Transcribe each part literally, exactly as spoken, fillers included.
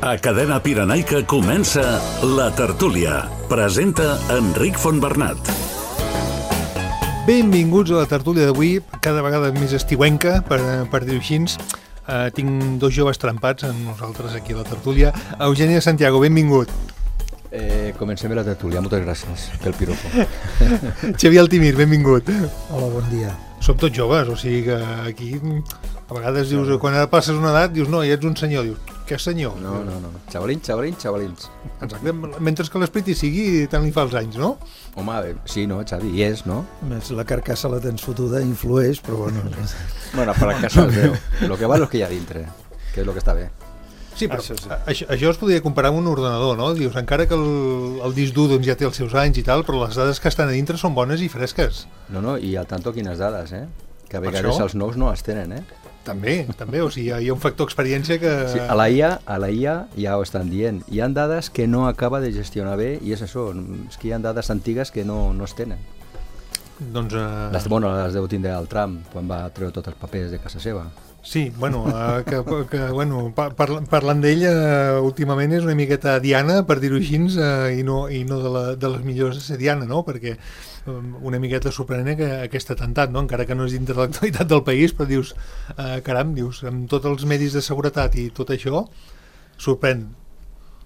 A Cadena Pirenaica comença La Tertúlia. Presenta Enric Fontbernat. Benvinguts a la tertúlia d'avui, cada vegada més estiuenca, per, per dir-ho així. Uh, tinc dos joves trempats amb nosaltres aquí a la tertúlia. Eugeni de Santiago, benvingut. Eh, comencem la tertúlia, moltes gràcies pel piropo. Xavier Altimir, benvingut. Hola, bon dia. Som tots joves, o sigui que aquí a vegades dius, quan ara passes una edat, dius, no, ja ets un senyor, dius, què senyor? No, no, no, xavalins, xavalins, xavalins. Exacte, mentre que l'esperit hi sigui, tant li fa els anys, no? Home, sí, no, Xavi, hi és, no? Més la carcassa la tens fotuda, influeix, però bueno... Bueno, per la casa el veu. Lo que val és que hi ha dintre, que és el que està bé. Sí, però això, sí. això, això es podria comparar amb un ordenador, no? Dius, encara que el, el disc dur doncs, ja té els seus anys i tal, però les dades que estan a dintre són bones i fresques. No, no, i al tanto quines dades, eh? Que a vegades els nous no les tenen, eh? També, també, o sigui, hi ha un factor experiència que... Sí, a la I A, a la I A ja ho estan dient. Hi ha dades que no acaba de gestionar bé i és això, és que hi ha dades antigues que no, no es tenen. Doncs... Uh... Les, bueno, les deu tindre el Trump quan va treure tots els papers de casa seva. Sí, bueno, uh, que, que, bueno par parlant d'ell, uh, últimament és una miqueta diana, per dir-ho així, uh, i, no, i no de, la, de les millors de ser diana, no? Perquè um, una miqueta sorprenent que aquest atemptat, no? Encara que no és dintre de l'actualitat del país, però dius, uh, caram, dius, amb tots els medis de seguretat i tot això, sorprèn.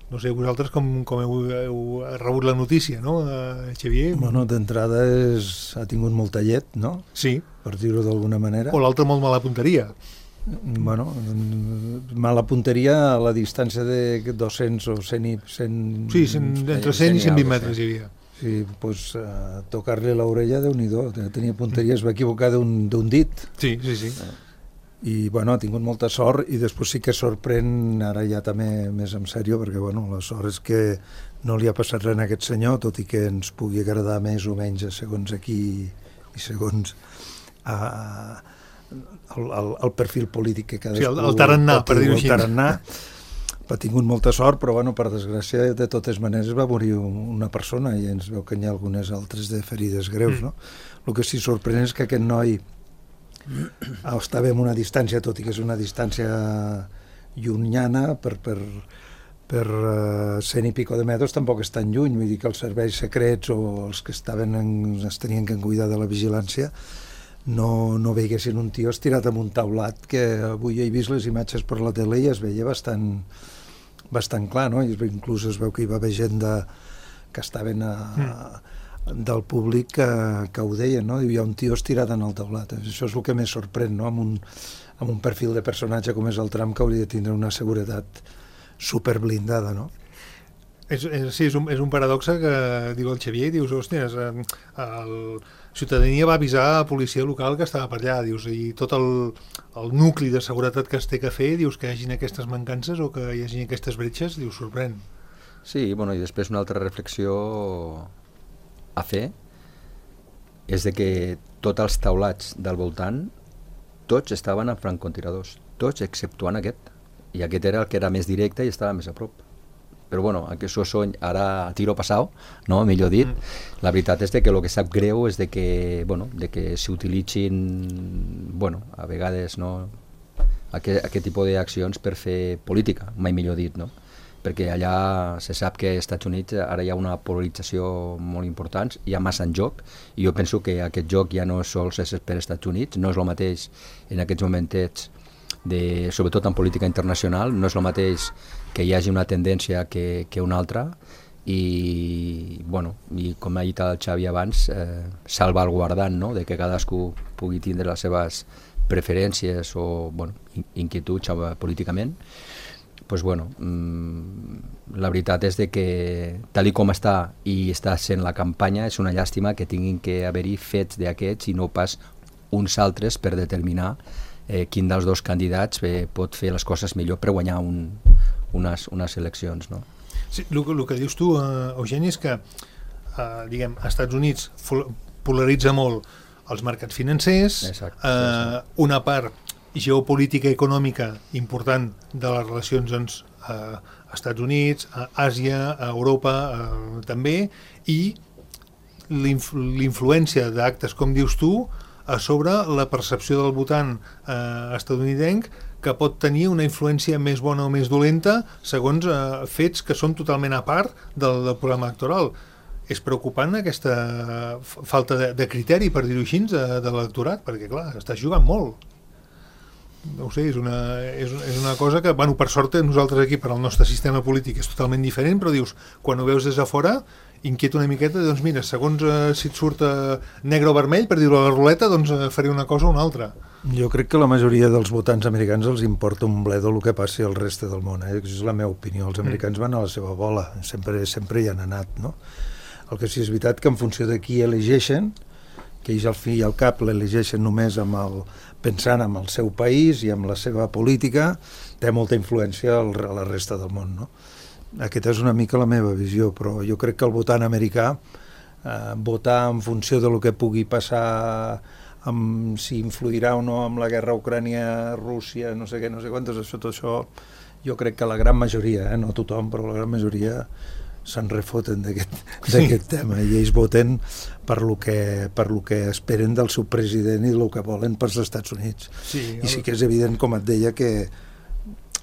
No sé, vosaltres com, com heu, heu rebut la notícia, no, uh, Xavier? Bueno, d'entrada és... ha tingut molta llet, no? Sí. Per dir-ho d'alguna manera. O l'altra molt mala punteria. Bueno, mala punteria a la distància de dos-cents o cent i... cent... Sí, cent, entre cent i cent vint metres hi havia. Sí, doncs uh, tocar-li l'orella, Déu-n'hi-do, tenia punteria, es va equivocar d'un dit. Sí, sí, sí. I, bueno, ha tingut molta sort i després sí que sorprèn, ara ja també més en sèrio, perquè, bueno, la sort és que no li ha passat res a aquest senyor, tot i que ens pugui agradar més o menys segons aquí i segons... Uh, El, el, el perfil polític que cadascú... Sí, el, el tarannà, per dir-ho així. El tarannà ha tingut molta sort, però bueno, per desgràcia, de totes maneres va morir una persona i ens veu que hi ha algunes altres de ferides greus, mm. no? El que sí sorprèn és que aquest noi estava en una distància, tot i que és una distància llunyana, per, per, per uh, cent i pico de metres tampoc és tan lluny, vull dir que els serveis secrets o els que estaven en, es tenien que cuidar de la vigilància no, no veiguessin un tio estirat amb un taulat, que avui he vist les imatges per la tele i es veia bastant, bastant clar, no? I inclús es veu que hi va haver gent de, que estaven a, mm. del públic que, que ho deien, no? Hi ha un tio estirat en el taulat. Això és el que més sorprèn, no? Amb un, amb un perfil de personatge com és el Trump, que hauria de tindre una seguretat superblindada, no? És, és, sí, és un, és un paradoxe que diu el Xavier, dius, hòstia, el ciutadania va avisar a la policia local que estava per allà, dius, i tot el, el nucli de seguretat que es té que fer, dius, que hi hagin aquestes mancances o que hi hagin aquestes bretxes, dius, sorprèn. Sí, bueno, i després una altra reflexió a fer és de que tots els taulats del voltant, tots estaven en francotiradors, tots exceptuant aquest, i aquest era el que era més directe i estava més a prop. Però bueno, aquest sony ara a tiro passau, no? Millor dit, mm. la veritat és de que el que sap greu és de que, bueno, de que s'utilitzin, bueno, a vegades, no, aquest, aquest tipus d'accions per fer política, mai millor dit, no? Perquè allà se sap que als Estats Units ara hi ha una polarització molt important, hi ha massa en joc, i jo penso que aquest joc ja no sols és per als Estats Units, no és el mateix en aquests momentets, de, sobretot en política internacional, no és el mateix que hi hagi una tendència que, que una altra i, bueno, i com ha dit el Xavi abans, eh, salvaguardant, no? De que cadascú pugui tindre les seves preferències o, bueno, inquietuds políticament. Pues, bueno, mmm, la veritat és de que tal i com està i està sent la campanya, és una llàstima que tinguin que haver-hi fets d'aquests i no pas uns altres per determinar eh, quin dels dos candidats eh, pot fer les coses millor per guanyar un, unes, unes eleccions, no? Sí, el, el que dius tu, uh, Eugeni, és que uh, diguem, als Estats Units polaritza molt els mercats financers. Exacte, uh, sí, sí. Una part geopolítica i econòmica important de les relacions doncs, uh, als Estats Units, a Àsia, a Europa uh, també, i l'influència d'actes, com dius tu, a sobre la percepció del votant eh, estadounidenc que pot tenir una influència més bona o més dolenta segons eh, fets que són totalment a part del, del programa electoral. És preocupant aquesta falta de, de criteri, per dir-ho així, de, de l'electorat, perquè clar, estàs jugant molt. No ho sé, és una, és, és una cosa que, bueno, per sort nosaltres aquí, per al nostre sistema polític és totalment diferent, però dius, quan ho veus des de fora, inquieta una miqueta, doncs mira, segons eh, si et surt eh, negre o vermell, per dir-ho a la ruleta, doncs eh, faré una cosa o una altra. Jo crec que la majoria dels votants americans els importa un bledo el que passi al reste del món, eh? Això és la meva opinió. Els americans van a la seva bola, sempre, sempre hi han anat, no? El que sí és veritat que en funció de qui elegeixen, que ells al fi i al cap l'elegeixen només amb el, pensant en el seu país i amb la seva política, té molta influència a la resta del món, no? Aquesta és una mica la meva visió, però jo crec que el votant americà, eh, votar en funció de lo que pugui passar, amb si influirà o no amb la guerra Ucrània-Rússia, no sé què, no sé quantes, això, tot això, jo crec que la gran majoria, eh, no tothom, però la gran majoria se'n refoten d'aquest sí. tema i ells voten per lo que, per lo que esperen del seu president i el que volen pels Estats Units. Sí, el... I sí que és evident, com et deia, que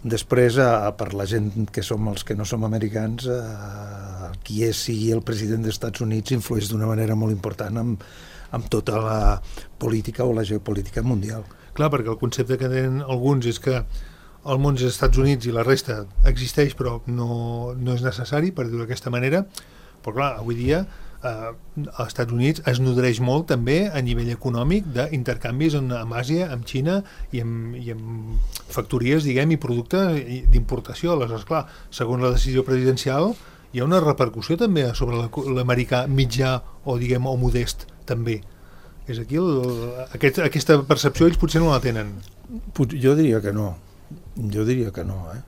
després, a, per la gent que som els que no som americans, a, qui és sigui el president dels Estats Units influeix d'una manera molt important amb, amb tota la política o la geopolítica mundial. Clar, perquè el concepte que tenen alguns és que el món dels Estats Units i la resta existeix però no, no és necessari, per dir-ho d'aquesta manera, però clar, avui dia eh, als Estats Units es nodreix molt també a nivell econòmic d'intercanvis amb Àsia, amb Xina i amb, i amb factories, diguem, i productes d'importació. Aleshores, clar, segons la decisió presidencial hi ha una repercussió també sobre l'americà mitjà o, diguem, o modest també. És aquí el, aquest, aquesta percepció ells potser no la tenen. Jo diria que no. Jo diria que no, eh?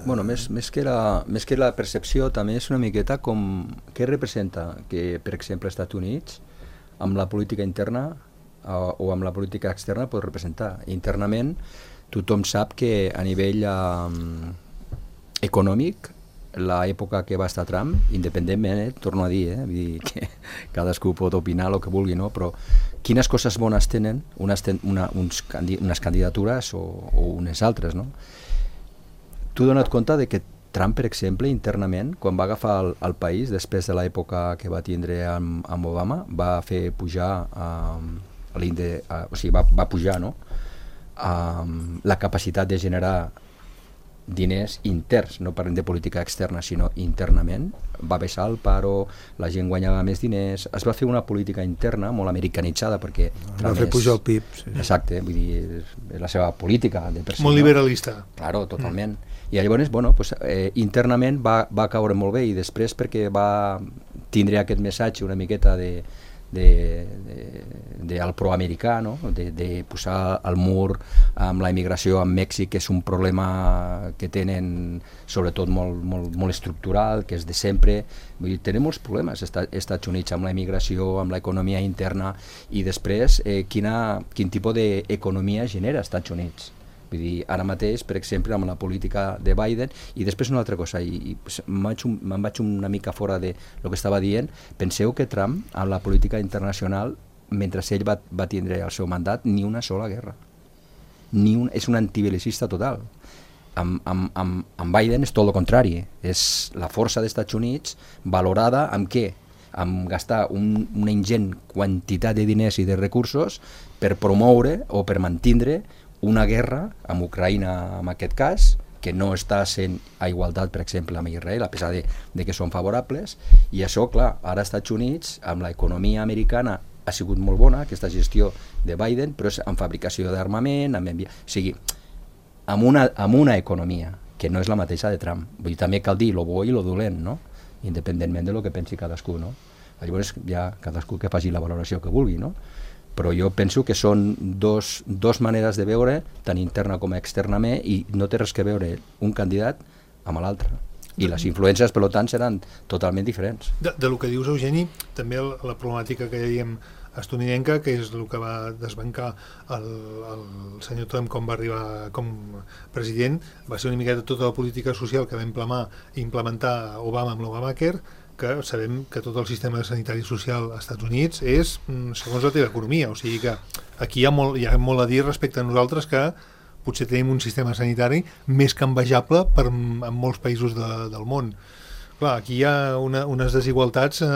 Bueno, més, més, que la, més que la percepció també és una miqueta com què representa que, per exemple, als Estats Units amb la política interna o, o amb la política externa pot representar. Internament tothom sap que a nivell um, econòmic l'època que va estar Trump, independentment, eh, torno a dir, eh, vull dir que cadascú pot opinar el que vulgui, no? Però quines coses bones tenen unes, ten, una, uns, unes candidatures o, o unes altres, no? Tu dona't compte de que Trump, per exemple, internament, quan va agafar el, el país, després de l'època que va tindre amb, amb Obama, va fer pujar um, l'índex, uh, o sigui, va, va pujar, no? Um, la capacitat de generar diners interns, no parlem de política externa, sinó internament. Va baixar el paro, la gent guanyava més diners, es va fer una política interna molt americanitzada perquè... Va fer pujar el P I B. Sí. Exacte, vull dir, és la seva política de per si, molt liberalista. No? Claro, totalment. Mm. I llavors, bueno, pues, eh, internament va, va caure molt bé i després perquè va tindre aquest missatge una miqueta de de, de, de al proamericà, no? de, de posar el mur amb la immigració amb Mèxic, que és un problema que tenen sobretot molt, molt, molt estructural, que és de sempre. Vull dir, tenen molts problemes als Estats Units amb la immigració, amb l'economia interna, i després eh, quina, quin tipus d'economia genera als Estats Units. Vull dir, ara mateix, per exemple, amb la política de Biden, i després una altra cosa, i, i me'n vaig, me vaig una mica fora de lo que estava dient. Penseu que Trump, amb la política internacional, mentre ell va, va tindre el seu mandat, ni una sola guerra. Ni un, és un antibelicista total. Amb, amb, amb, amb Biden és tot el contrari. És la força dels Estats Units valorada amb què? Amb gastar un, una ingent quantitat de diners i de recursos per promoure o per mantindre una guerra amb Ucraïna, en aquest cas, que no està sent a igualtat, per exemple, amb Israel, a pesar de, de que són favorables, i això, clar, ara als Estats Units, amb l'economia americana, ha sigut molt bona, aquesta gestió de Biden, però és en fabricació d'armament, amb envi... o sigui, amb una, amb una economia, que no és la mateixa de Trump. Vull dir, també cal dir lo bo i lo dolent, no? Independentment de lo que pensi cadascú, no? Llavors, ja cadascú que faci la valoració que vulgui, no? Però jo penso que són dos, dos maneres de veure, tant interna com externament, i no té res que veure un candidat amb l'altre. I les influències, per tant, seran totalment diferents. De, de lo que dius, Eugeni, també el, la problemàtica que dèiem estatunidenca, que és el que va desbancar el, el senyor Trump com va arribar com president, va ser una miqueta tota la política social que va implementar, implementar Obama amb l'Obamacare, que sabem que tot el sistema sanitari social als Estats Units és segons la teva economia, o sigui que aquí hi ha molt, hi ha molt a dir respecte a nosaltres, que potser tenim un sistema sanitari més que envejable per, en molts països de, del món. Clar, aquí hi ha una, unes desigualtats eh,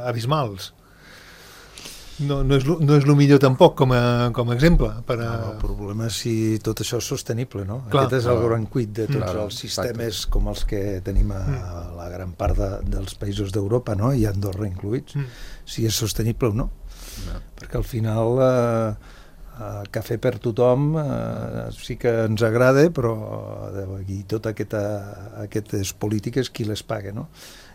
abismals. No, no, és lo, no és el millor tampoc com a, com a exemple. Per a... no, el problema és si tot això és sostenible, no? Clar, Aquest és el gran cuit de tots clar, els sistemes exacte. Com els que tenim a la gran part de, dels països d'Europa, no? I Andorra incluïts, mm. si és sostenible o no. no. Perquè al final eh, eh, cafè per tothom eh, sí que ens agrada, però i totes aquesta, aquestes polítiques qui les paga, no?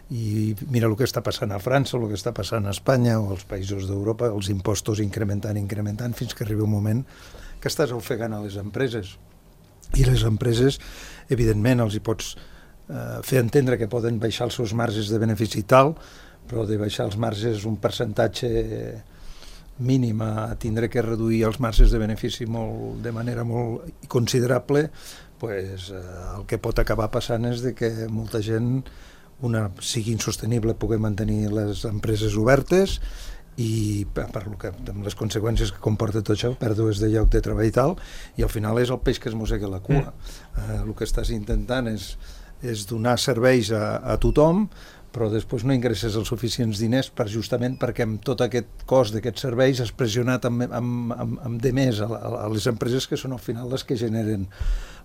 I mira el que està passant a França, el que està passant a Espanya o als països d'Europa, els impostos incrementant, incrementant, fins que arriba un moment que estàs ofegant a les empreses. I les empreses, evidentment, els hi pots eh, fer entendre que poden baixar els seus marges de benefici i tal, però de baixar els marges un percentatge mínim a tindre que reduir els marges de benefici molt, de manera molt considerable, pues, eh, el que pot acabar passant és de que molta gent una sigui insostenible poder mantenir les empreses obertes i per, per lo que, amb les conseqüències que comporta tot això, pèrdues de lloc de treball i tal, i al final és el peix que es mossega la cua. Mm. Eh, el que estàs intentant és, és donar serveis a, a tothom, però després no ingresses els suficients diners per justament perquè amb tot aquest cost d'aquests serveis has pressionat amb, amb, amb, amb de més a, a, a les empreses que són al final les que generen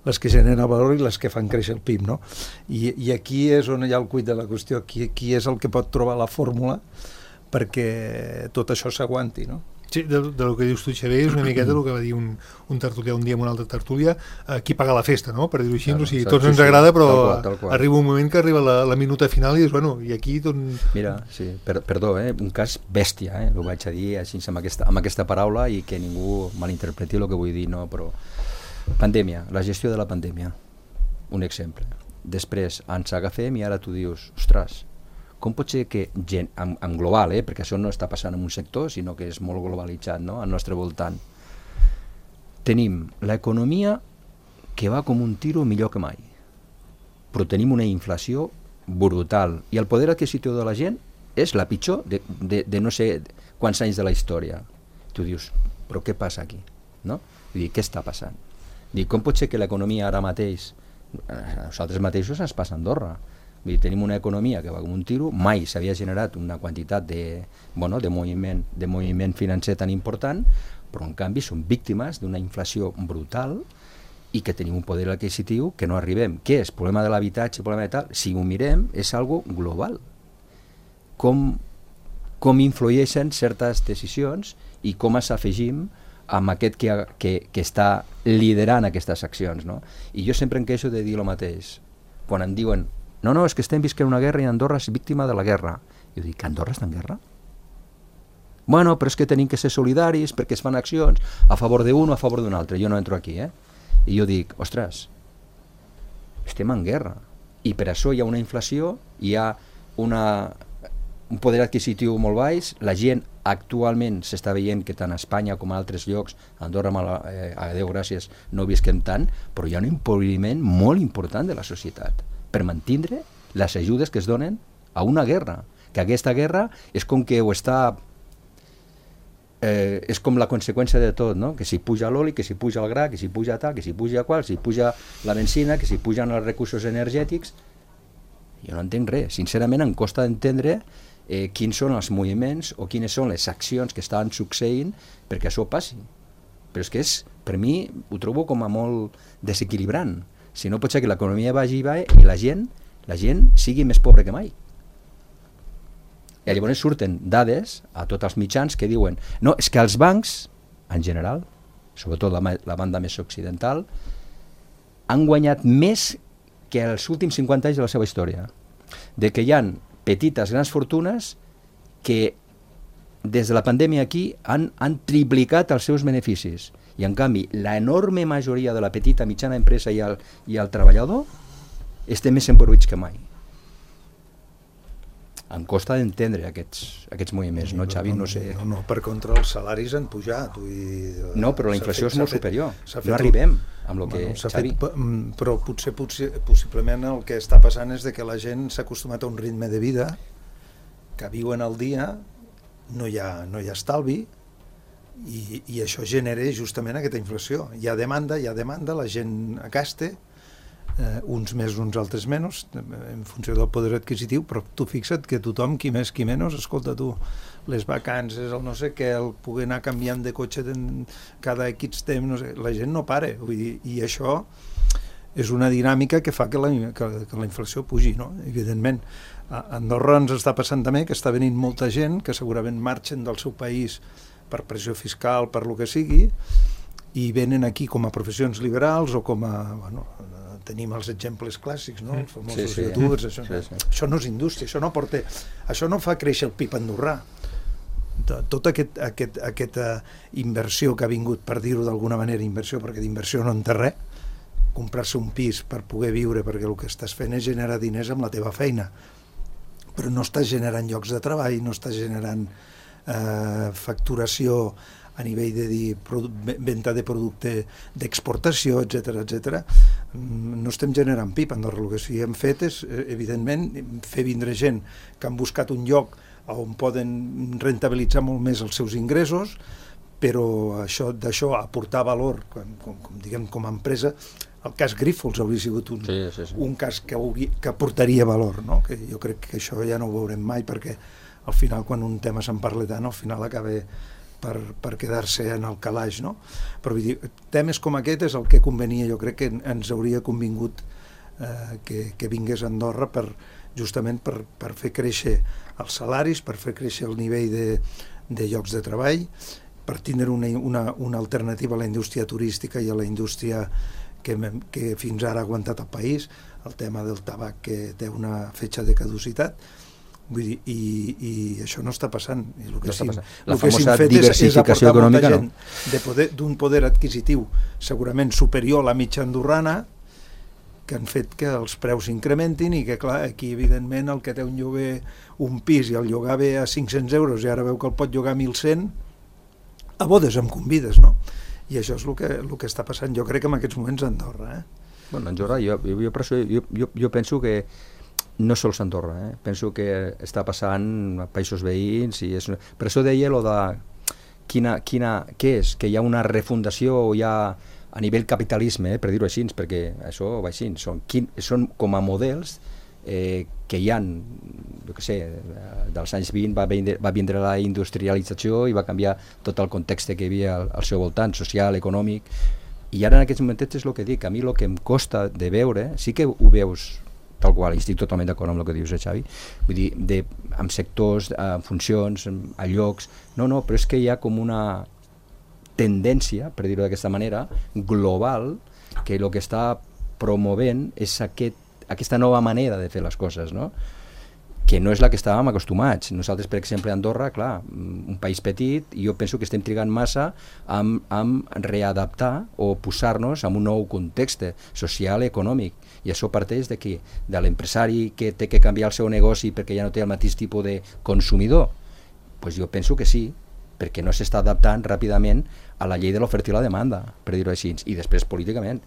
les que generen el valor i les que fan créixer el P I B, no? I, i aquí és on hi ha el cuit de la qüestió, qui, qui és el que pot trobar la fórmula perquè tot això s'aguanti, no? Sí, de, de lo que dius tu, Xavier, és una miqueta el que va dir un, un tertulià un dia amb una altra tertúlia, eh, qui paga la festa, no?, per dir-ho així, claro, o sigui, tots ens agrada, però tal qual, tal qual. Arriba un moment que arriba la, la minuta final i dius, bueno, i aquí tot... Mira, sí, per, perdó, eh, un cas bèstia, eh, ho vaig a dir així amb aquesta, amb aquesta paraula i que ningú malinterpreti el que vull dir, no, però... Pandèmia, la gestió de la pandèmia, un exemple. Després ens agafem i ara tu dius, ostres, com pot ser que gent, en, en global, eh, perquè això no està passant en un sector, sinó que és molt globalitzat, no?, al nostre voltant, tenim l'economia que va com un tiro millor que mai, però tenim una inflació brutal i el poder adquisitiu de la gent és la pitjor de, de, de no sé quants anys de la història. Tu dius, però què passa aquí? No? Vull dir, què està passant? Dic, com pot ser que l'economia ara mateix, a nosaltres mateixos ens passa a Andorra, vull dir, tenim una economia que va com un tiro, mai s'havia generat una quantitat de, bueno, de, moviment, de moviment financer tan important, però en canvi som víctimes d'una inflació brutal i que tenim un poder adquisitiu que no arribem. Què és? Problema de l'habitatge, problema de tal? Si ho mirem, és algo global. Com, com influeixen certes decisions i com ens afegim amb aquest que, que, que està liderant aquestes accions, no? I jo sempre em queixo de dir el mateix. Quan em diuen, no, no, és que estem visquent una guerra i Andorra és víctima de la guerra. Jo dic, que Andorra està en guerra? Bueno, però és que tenim que ser solidaris perquè es fan accions a favor d'un o a favor d'un altre. Jo no entro aquí, eh? I jo dic, ostres, estem en guerra. I per això hi ha una inflació, hi ha una, un poder adquisitiu molt baix, la gent actualment s'està veient que tant a Espanya com a altres llocs, a Andorra, eh, a Déu gràcies, no visquem tant, però hi ha un empobriment molt important de la societat per mantindre les ajudes que es donen a una guerra, que aquesta guerra és com que ho està... Eh, és com la conseqüència de tot, no? Que si puja l'oli, que si puja el gra, que si puja tal, que si puja qual, si puja la benzina, que si pugen els recursos energètics... Jo no entenc res, sincerament em costa entendre eh, quins són els moviments o quines són les accions que estan succeint perquè això passi. Però és que és, per mi ho trobo com a molt desequilibrant. Si no pot ser que l'economia vagi i va i la gent, la gent sigui més pobra que mai. I llavors surten dades a tots els mitjans que diuen no, és que els bancs, en general, sobretot la, la banda més occidental, han guanyat més que els últims cinquanta anys de la seva història. De que hi ha petites, grans fortunes que des de la pandèmia aquí han, han triplicat els seus beneficis. I en canvi, l'enorme majoria de la petita, mitjana empresa i el, i el treballador estem més empobrits que mai. Em costa d'entendre aquests, aquests moviments, no, Xavi? No sé... No, no, per contra, els salaris han pujat. Vull dir, no, però la inflació fet, és molt fet, superior. No arribem amb el que... Bueno, Xavi... fet, però potser, potser, possiblement el que està passant és de que la gent s'ha acostumat a un ritme de vida, que viuen al dia, no hi ha, no hi ha estalvi, I, i això genera justament aquesta inflació. Hi ha demanda, hi ha demanda, la gent gasta, eh, uns més, uns altres menys, en funció del poder adquisitiu, però tu fixa't que tothom, qui més, qui menys, escolta tu, les vacances, el no sé què, el poder anar canviant de cotxe cada X temps, no sé, la gent no para, vull dir, i això és una dinàmica que fa que la, que, que la inflació pugi, no? Evidentment. A Andorra ens està passant també que està venint molta gent que segurament marxen del seu país per pressió fiscal, per lo que sigui, i venen aquí com a professions liberals o com a... Bueno, tenim els exemples clàssics, no? Els famosos sí, sí. youtubers, això, sí, sí. Això no és indústria, això no porta, això no fa créixer el P I B andorrà. Tota aquest, aquest, aquesta inversió que ha vingut, per dir-ho d'alguna manera, inversió, perquè d'inversió no en té res, comprar-se un pis per poder viure, perquè el que estàs fent és generar diners amb la teva feina, però no estàs generant llocs de treball, no estàs generant eh, facturació a nivell de dir, venda de producte d'exportació, etcètera, etcètera. No estem generant P I B, Andorra. El que sí hem fet és, evidentment, fer vindre gent que han buscat un lloc on poden rentabilitzar molt més els seus ingressos, però això d'això aportar valor, com, com, com, diguem, com a empresa, el cas Grífols hauria sigut un, sí, sí, sí. un cas que, hauria, que aportaria valor, no? Que jo crec que això ja no ho veurem mai, perquè al final, quan un tema se'n parla tant, al final acaba per, per quedar-se en el calaix, no? Però vull dir, temes com aquest és el que convenia, jo crec que ens hauria convingut eh, que, que vingués a Andorra per, justament per, per fer créixer els salaris, per fer créixer el nivell de, de llocs de treball, per tindre una, una, una alternativa a la indústria turística i a la indústria que, que fins ara ha aguantat el país, el tema del tabac que té una fetge de caducitat. Vull dir, i, i això no està passant. I el que no sí, està la el que famosa fet diversificació és, és econòmica, gent no? de poder, d'un poder adquisitiu segurament superior a la mitja andorrana, que han fet que els preus s'incrementin i que, clar, aquí, evidentment, el que té un lloguer, un pis, i el llogar ve a cinc-cents euros i ara veu que el pot llogar a mil cent, a bodes em convides, no? I això és el que, el que està passant, jo crec, en aquests moments a Andorra. Eh? Bueno, Andorra, jo, jo, jo, per això, jo, jo, jo penso que no sols Andorra, eh? Penso que està passant a països veïns, i és una... per això deia lo de quina, quina, què és, que hi ha una refundació o hi ha a nivell capitalisme, eh, per dir-ho així, perquè això va així, són, quin, són com a models eh, que hi ha, jo què sé, dels anys vint va vindre, va vindre la industrialització i va canviar tot el context que hi havia al, al seu voltant, social, econòmic, i ara en aquests moments és el que dic, a mi el que em costa de veure, sí que ho veus tal qual, i estic totalment d'acord amb el que dius, eh, Xavi, vull dir, de, amb sectors, amb funcions, a llocs, no, no, però és que hi ha com una tendència, per dir-ho d'aquesta manera, global, que el que està promovent és aquest, aquesta nova manera de fer les coses, no? Que no és la que estàvem acostumats. Nosaltres, per exemple, a Andorra, clar, un país petit, i jo penso que estem trigant massa amb, amb readaptar o posar-nos en un nou context social i econòmic. I això parteix de qui? De l'empresari que té que canviar el seu negoci perquè ja no té el mateix tipus de consumidor? Pues jo penso que sí, perquè no s'està adaptant ràpidament a la llei de l'oferta i la demanda, per dir-ho així. I després políticament.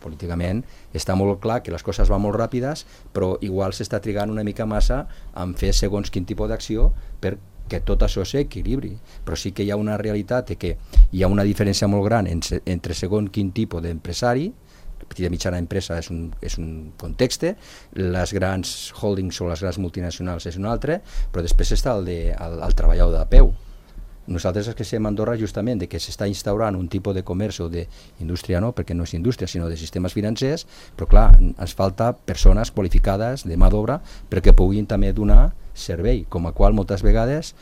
Políticament està molt clar que les coses van molt ràpides, però igual s'està trigant una mica massa en fer segons quin tipus d'acció perquè tot això s'equilibri. Però sí que hi ha una realitat que hi ha una diferència molt gran entre segons quin tipus d'empresari, la petita i mitjana empresa és un, és un context, les grans holdings o les grans multinacionals és un altre, però després està el, de, el, el treballador de peu. Nosaltres és que estem a Andorra justament de que s'està instaurant un tipus de comerç o d'indústria, no, perquè no és indústria, sinó de sistemes financers, però clar, ens falta persones qualificades de mà d'obra perquè puguin també donar servei, com a qual moltes vegades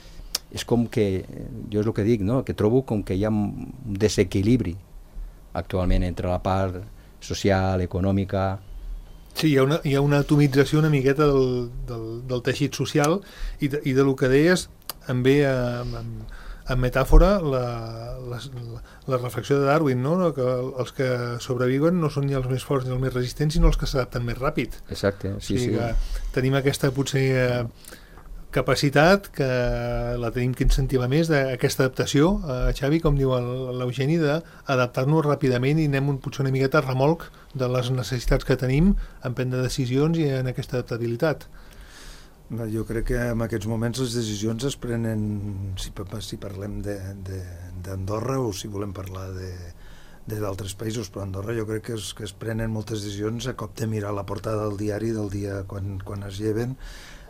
és com que, jo és el que dic, no, que trobo com que hi ha un desequilibri actualment entre la part social, econòmica. Sí, hi ha una, hi ha una atomització una miqueta del, del, del teixit social i de, i de lo que deies em ve amb, amb en metàfora la, la, la reflexió de Darwin, no? Que els que sobreviuen no són ni els més forts ni els més resistents, sinó els que s'adapten més ràpid. Exacte, sí, o sigui, sí. Tenim aquesta potser capacitat que la tenim que incentivar més d'aquesta adaptació, eh, Xavi, com diu l'Eugeni, d'adaptar-nos ràpidament i anem un, potser una miqueta a remolc de les necessitats que tenim en prendre decisions i en aquesta adaptabilitat. Jo crec que en aquests moments les decisions es prenen, si, si parlem d'Andorra o si volem parlar de d'altres països, però a Andorra jo crec que es, que es prenen moltes decisions a cop de mirar la portada del diari del dia quan, quan es lleven,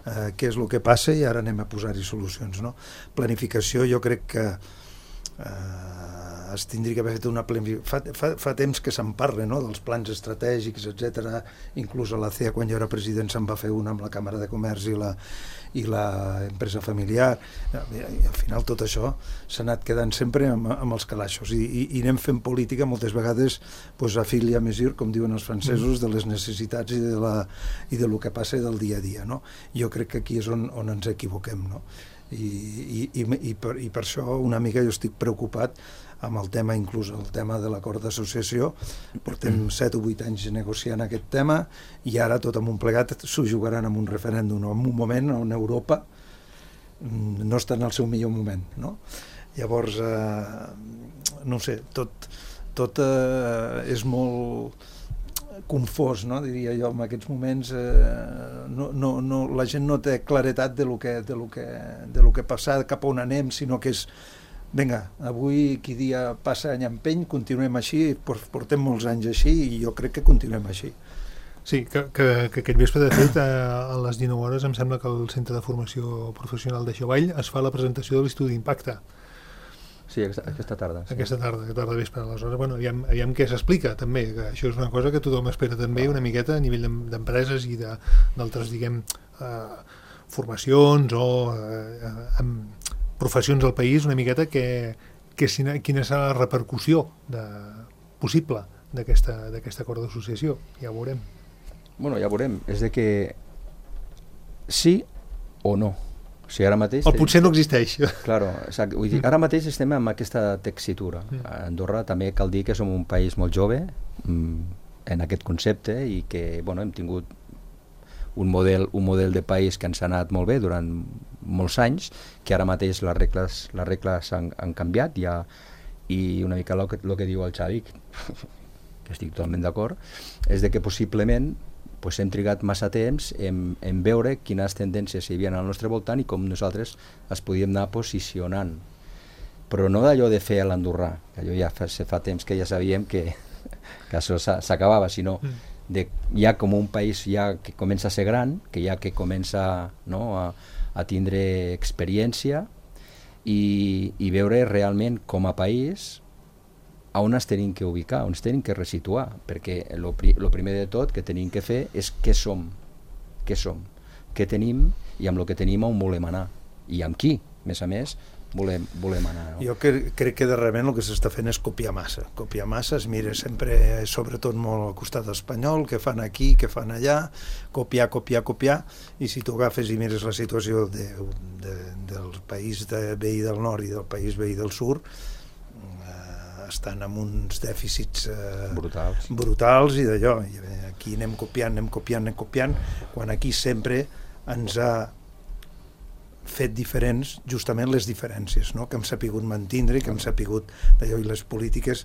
eh, què és el que passa i ara anem a posar-hi solucions, no? Planificació, jo crec que eh, es tindria que haver fet una planificació. Fa, fa, fa temps que se'n parla, no?, dels plans estratègics, etcètera. Inclús a la C E A, quan jo era president, se'n va fer una amb la Càmera de Comerç i la, i la empresa familiar. I, i al final tot això s'ha anat quedant sempre amb, amb els calaixos i, i, i anem fent política moltes vegades pues, a fil i a mesir, com diuen els francesos, de les necessitats i de, la, i de lo que passa del dia a dia, no? Jo crec que aquí és on, on ens equivoquem, no? I, i, i, i, per, i per això una mica jo estic preocupat amb el tema, inclús el tema de l'acord d'associació. Portem set o vuit anys negociant aquest tema i ara tot amunt plegat s'ho jugaran en un referèndum, en un moment on Europa no està en el seu millor moment, no? Llavors, eh, no sé, tot, tot eh, és molt confós, no? Diria jo, en aquests moments eh, no, no, no, la gent no té claretat de lo que, de lo que, de lo que passa, cap a on anem, sinó que és vinga, avui qui dia passa any empeny, continuem així, portem molts anys així i jo crec que continuem així. Sí, que, que, que aquest vespre, de fet, a, a les dinou hores, em sembla que al Centre de Formació Professional de Xavall es fa la presentació de l'estudi d'impacte. Sí, aquesta, aquesta tarda. Sí. Aquesta tarda, aquesta tarda vespre. Aleshores, bueno, aviam, aviam què s'explica, també, que això és una cosa que tothom espera també una miqueta a nivell d'empreses i d'altres, diguem, eh, formacions o eh, amb professions del país, una miqueta que, que sina, quina serà la repercussió de, possible d'aquesta acord d'associació. Ja ho veurem. Bueno, ja veurem. És de que sí o no. O sigui, ara mateix... O potser no existeix. Claro, exacte. Vull dir, ara mateix estem amb aquesta texitura. A Andorra també cal dir que som un país molt jove en aquest concepte i que, bueno, hem tingut un model, un model de país que ens ha anat molt bé durant molts anys, que ara mateix les regles, les regles han, han canviat ja, i una mica el que, el que diu el Xavi, que estic totalment d'acord, és de que possiblement pues, hem trigat massa temps en, en veure quines tendències hi havia al nostre voltant i com nosaltres es podíem anar posicionant. Però no d'allò de fer l'andorrà, que allò ja fa, fa temps que ja sabíem que, que això s'acabava, sinó de ja com un país ja que comença a ser gran, que ja que comença, no, a, a tindre experiència i, i veure realment com a país a on es tenim que ubicar, on es tenim que resituar, perquè el primer de tot que tenim que fer és què som, què som, què tenim i amb el que tenim on volem anar i amb qui, a més a més, volem, volem anar. No? Jo crec, crec que darrerament el que s'està fent és copiar massa. Copiar massa, es mira sempre, sobretot molt al costat espanyol, què fan aquí, què fan allà, copiar, copiar, copiar, i si tu agafes i mires la situació de, de, del país de veí del nord i del país veí del sud, eh, estan amb uns dèficits eh, brutals. brutals i d'allò. Aquí anem copiant, anem copiant, anem copiant, quan aquí sempre ens ha fet diferents justament les diferències, no? Que hem sapigut mantindre, que hem sapigut d'allò, i les polítiques,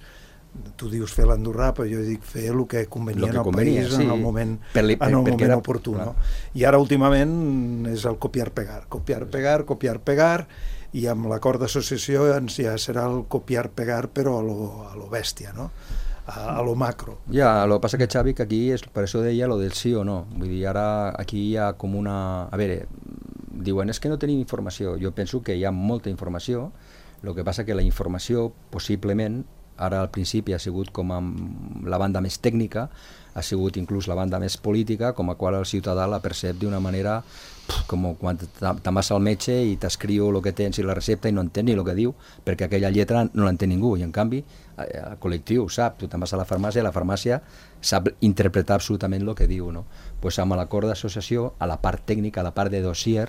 tu dius fer l'andorrà, però jo dic fer el que convenia al país sí. en el moment, per li, per, en el moment era, oportú. No? I ara últimament és el copiar-pegar, copiar-pegar, copiar-pegar, i amb l'acord d'associació ja serà el copiar-pegar però a lo, a lo bèstia, no? A, a lo macro. Ja, el que passa que Xavi, que aquí és, per això deia lo del sí o no, vull dir, ara aquí hi ha com una... A veure, diuen, és que no tenim informació. Jo penso que hi ha molta informació, el que passa que la informació, possiblement, ara al principi ha sigut com amb la banda més tècnica, ha sigut inclús la banda més política, com a qual el ciutadà la percep d'una manera com quan te'n vas al metge i t'escriu el que tens i la recepta i no entén ni el que diu, perquè aquella lletra no l'entén ningú, i en canvi el col·lectiu sap, tu te'n vas a la farmàcia i la farmàcia sap interpretar absolutament el que diu, no? Pues amb l'acord d'associació, a la part tècnica, a la part de dossier,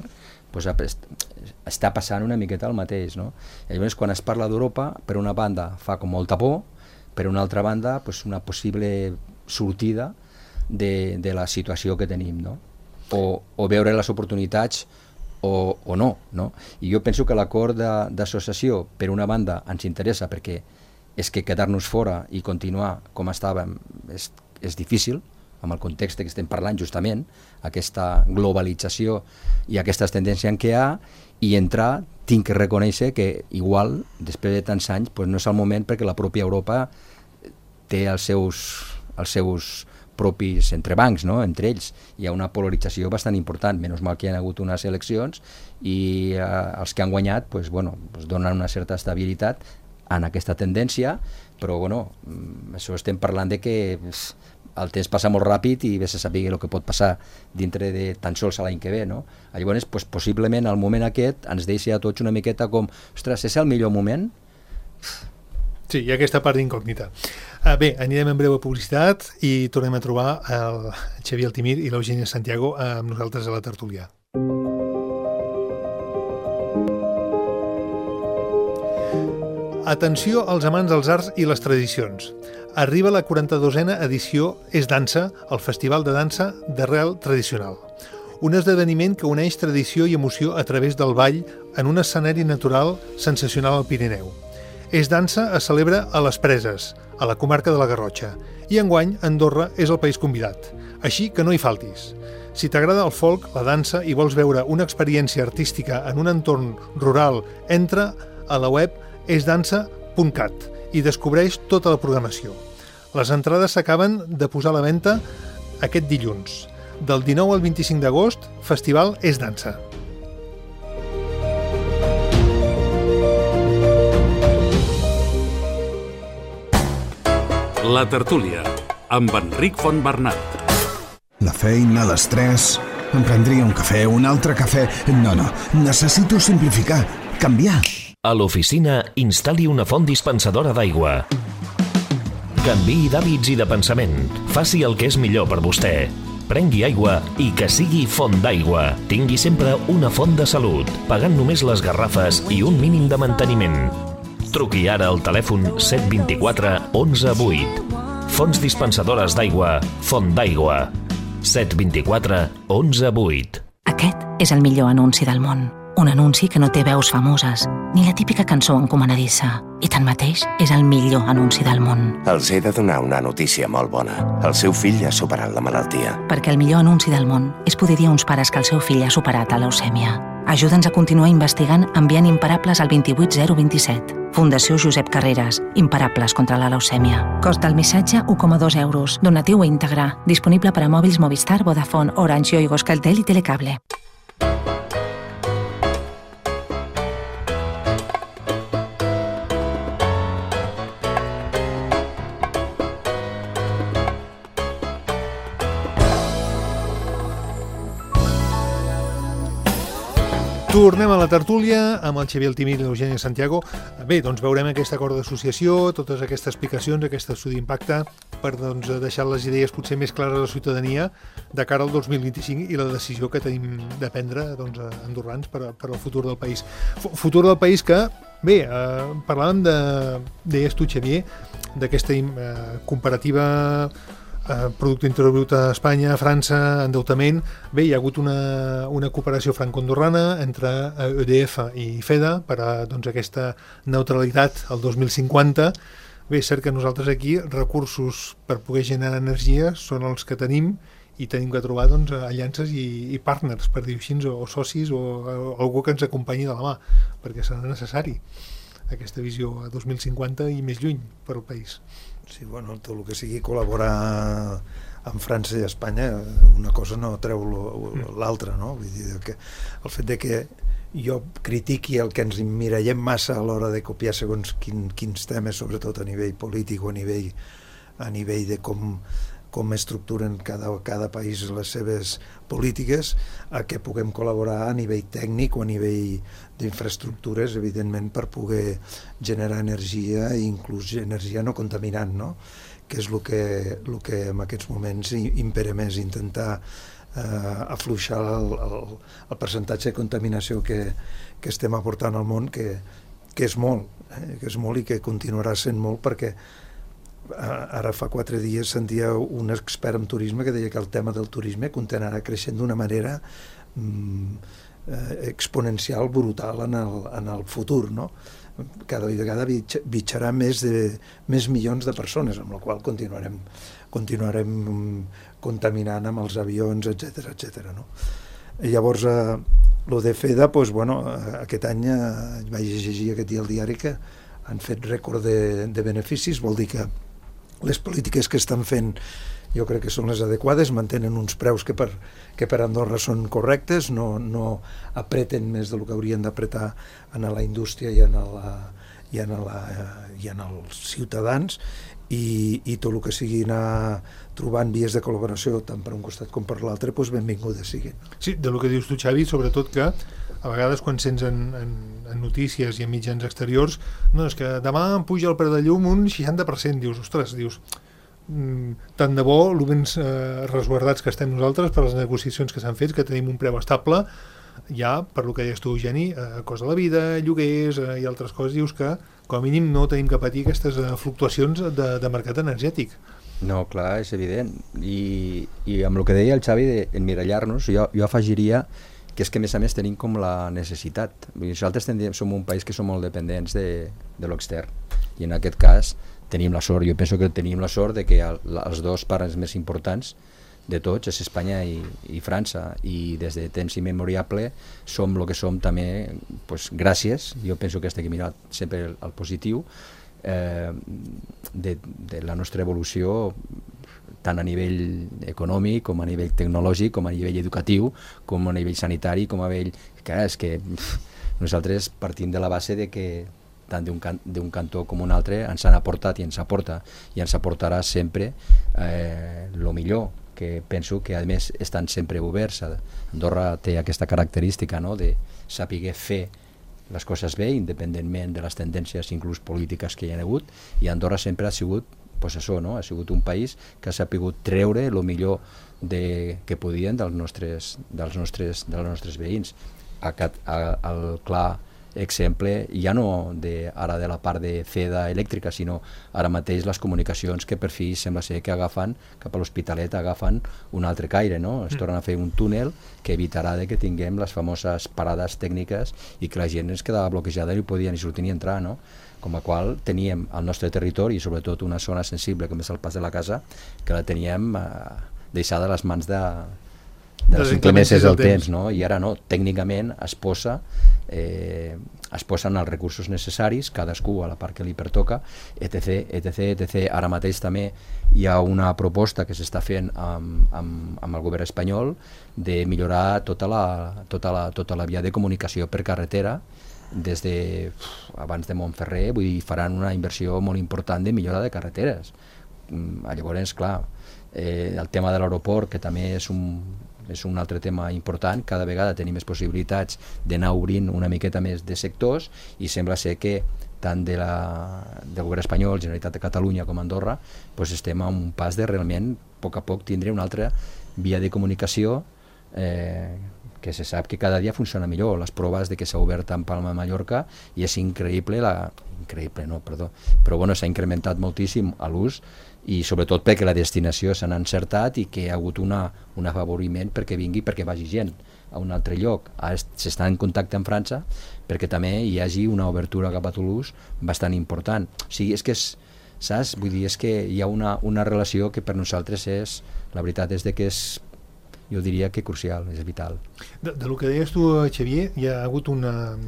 pues està passant una miqueta el mateix, no? I llavors quan es parla d'Europa, per una banda fa com molta por, per una altra banda pues una possible sortida de, de la situació que tenim, no? O, o veure les oportunitats o, o no, no? I jo penso que l'acord d'associació, per una banda, ens interessa perquè és que quedar-nos fora i continuar com estàvem és, és difícil, amb el context que estem parlant justament, aquesta globalització i aquestes tendències en què hi ha, i entrar, tinc que reconèixer que igual, després de tants anys, pues no és el moment perquè la pròpia Europa té els seus, els seus propis entrebancs, no? Entre ells. Hi ha una polarització bastant important, menys mal que hi ha hagut unes eleccions i eh, els que han guanyat pues, bueno, pues donen una certa estabilitat en aquesta tendència, però bueno, això estem parlant de que el temps passa molt ràpid i bé se sàpiga el que pot passar dintre de tan sols l'any que ve, no? Llavors, pues, possiblement el moment aquest ens deixa a tots una miqueta com, ostres, és el millor moment? Sí, hi ha aquesta part d'incògnita. Uh, bé, anirem en breu a publicitat i tornem a trobar el Xavier Altimir i l'Eugènia Santiago amb nosaltres a la tertúlia. Atenció als amants dels arts i les tradicions. Arriba la quaranta-dosena edició És Dansa, el festival de dansa d'arrel tradicional. Un esdeveniment que uneix tradició i emoció a través del ball en un escenari natural sensacional al Pirineu. És Dansa es celebra a les Preses, a la comarca de la Garrotxa, i enguany Andorra és el país convidat. Així que no hi faltis. Si t'agrada el folk, la dansa i vols veure una experiència artística en un entorn rural, entra a la web és dansa punt cat i descobreix tota la programació. Les entrades s'acaben de posar a la venda aquest dilluns. Del dinou al vint-i-cinc d'agost, Festival És Dansa. La tertúlia, amb Enric Fontbernat. La feina, l'estrès... Em prendria un cafè, un altre cafè... No, no, necessito simplificar, canviar. A l'oficina, instal·li una font dispensadora d'aigua. Canviï d'hàbits i de pensament. Faci el que és millor per vostè. Prengui aigua i que sigui font d'aigua. Tingui sempre una font de salut, pagant només les garrafes i un mínim de manteniment. Truqui ara al telèfon set dos quatre onze vuit. Fonts dispensadores d'aigua, Font d'Aigua. set dos quatre onze vuit. Aquest és el millor anunci del món. Un anunci que no té veus famoses, ni la típica cançó encomanadissa. I tanmateix és el millor anunci del món. Els he de donar una notícia molt bona. El seu fill ha superat la malaltia. Perquè el millor anunci del món és poder dir a uns pares que el seu fill ha superat la leucèmia. Ajuda'ns a continuar investigant enviant imparables al dos vuit zero dos set. Fundació Josep Carreras. Imparables contra la leucèmia. Cost del missatge u coma dos euros. Donatiu íntegre. Disponible per a mòbils Movistar, Vodafone, Orange, Yoigo, Euskaltel i Telecable. Tornem a la tertúlia amb el Xavier Altimir i l'Eugènia Santiago. Bé, doncs veurem aquest acord d'associació, totes aquestes explicacions, aquest estudi d'impacte, per doncs, deixar les idees potser més clares a la ciutadania de cara al dos mil vint-i-cinc i la decisió que tenim de prendre doncs, andorrans per, per al futur del país. F futur del país que, bé, eh, parlàvem de, deies tu, Xavier, d'aquesta eh, comparativa Eh, Producte Interior Brut a Espanya, a França, endeutament. Bé, hi ha hagut una, una cooperació franco-andorrana entre E D F i FEDA per a doncs, aquesta neutralitat al dos mil cinquanta. Bé, és cert que nosaltres aquí recursos per poder generar energia són els que tenim i tenim que trobar doncs, aliances i, i partners, per dir-ho així, o, o socis o, o algú que ens acompanyi de la mà, perquè serà necessari aquesta visió a dos mil cinquanta i més lluny per al país. Sí, bueno, tot el que sigui col·laborar amb França i Espanya, una cosa no treu l'altra, no? Vull dir que el fet de que jo critiqui el que ens emmirallem massa a l'hora de copiar segons quin, quins temes, sobretot a nivell polític o a nivell, a nivell de com, com estructuren cada, cada país les seves polítiques, a que puguem col·laborar a nivell tècnic o a nivell d'infraestructures, evidentment, per poder generar energia i inclús energia no contaminant, no? Que és el que, el que en aquests moments impera més, intentar eh, afluixar el, el, el percentatge de contaminació que, que estem aportant al món, que, que és molt, eh, que és molt i que continuarà sent molt, perquè ara fa quatre dies sentia un expert en turisme que deia que el tema del turisme continuarà creixent d'una manera mm, eh, exponencial brutal en el, en el futur, no? Cada vegada bitxarà més, de, més milions de persones, amb la qual continuarem, continuarem contaminant amb els avions, etcètera, etcètera, no? I llavors, eh, lo de FEDA, doncs, bueno, aquest any eh, vaig llegir aquest dia al diari que han fet rècord de, de beneficis, vol dir que les polítiques que estan fent jo crec que són les adequades, mantenen uns preus que per, que per Andorra són correctes, no, no apreten més del que haurien d'apretar en la indústria i en, la, i en, la, i en els ciutadans, i, i tot el que sigui anar trobant vies de col·laboració tant per un costat com per l'altre, doncs benvingudes siguin. Sí, de lo que dius tu, Xavi, sobretot que a vegades quan sents en, en, en notícies i en mitjans exteriors, no, és que demà em puja el preu de llum un seixanta per cent, dius, ostres, dius, tant de bo, el ben eh, resguardats que estem nosaltres per les negociacions que s'han fet, que tenim un preu estable, ja, per lo que deies tu, Eugeni, eh, cost de la vida, lloguers eh, i altres coses, dius que com a mínim no tenim que patir aquestes eh, fluctuacions de, de mercat energètic. No, clar, és evident. I, i amb el que deia el Xavi d'emmirallar-nos, jo, jo afegiria que és que a més a més tenim com la necessitat. Nosaltres tendríem, som un país que som molt dependents de, de l'extern, i en aquest cas tenim la sort, jo penso que tenim la sort de que el, els dos pares més importants de tots és Espanya i, i França, i des de temps immemoriable som el que som també, pues, gràcies, jo penso que estic mirat sempre el, el positiu, eh, de, de la nostra evolució tant a nivell econòmic com a nivell tecnològic, com a nivell educatiu, com a nivell sanitari, com a nivell... Clar, és que pff, nosaltres partim de la base de que tant d'un can, d'un cantó com un altre ens han aportat i ens aporta i ens aportarà sempre eh, lo millor, que penso que a més estan sempre oberts. Andorra té aquesta característica, no?, de saber fer les coses bé independentment de les tendències inclús polítiques que hi ha hagut, i Andorra sempre ha sigut, pues això, no?, ha sigut un país que ha sabut treure el millor de, que podien dels nostres, dels nostres, dels nostres veïns. A, a, el clar exemple, ja no de, ara de la part de FEDA elèctrica, sinó ara mateix les comunicacions que per fi sembla ser que agafen cap a l'Hospitalet, agafen un altre caire, no? Es tornen a fer un túnel que evitarà de que tinguem les famoses parades tècniques i que la gent es quedava bloquejada i no podia ni sortir ni entrar, no? Com a qual teníem al nostre territori, i sobretot una zona sensible com és el pas de la casa, que la teníem eh, deixada a les mans de, de les inclemències del temps, no? I ara no, tècnicament es posa eh, es posen els recursos necessaris, cadascú a la part que li pertoca, etc, etc, etc. Ara mateix també hi ha una proposta que s'està fent amb, amb, amb el govern espanyol de millorar tota la, tota la, tota la via de comunicació per carretera des de uf, abans de Montferrer, vull dir, faran una inversió molt important de millora de carreteres. Llavors, clar, eh, el tema de l'aeroport, que també és un és un altre tema important, cada vegada tenim més possibilitats d'anar obrint una miqueta més de sectors, i sembla ser que tant de la, del govern espanyol, Generalitat de Catalunya com Andorra, doncs estem a un pas de realment a poc a poc tindre una altra via de comunicació eh, que se sap que cada dia funciona millor. Les proves de que s'ha obert en Palma de Mallorca, i és increïble, la, increïble no, perdó, però bueno, s'ha incrementat moltíssim a l'ús, i sobretot perquè la destinació s'ha encertat i que hi ha hagut una, un afavoriment perquè vingui, perquè vagi gent a un altre lloc. Ara s'està en contacte amb França perquè també hi hagi una obertura cap a Toulouse bastant important. O sigui, és que és, saps? Vull dir, és que hi ha una, una relació que per nosaltres és, la veritat és de que és, jo diria que crucial, és vital. De, de lo que deies tu, Xavier, hi ha hagut una...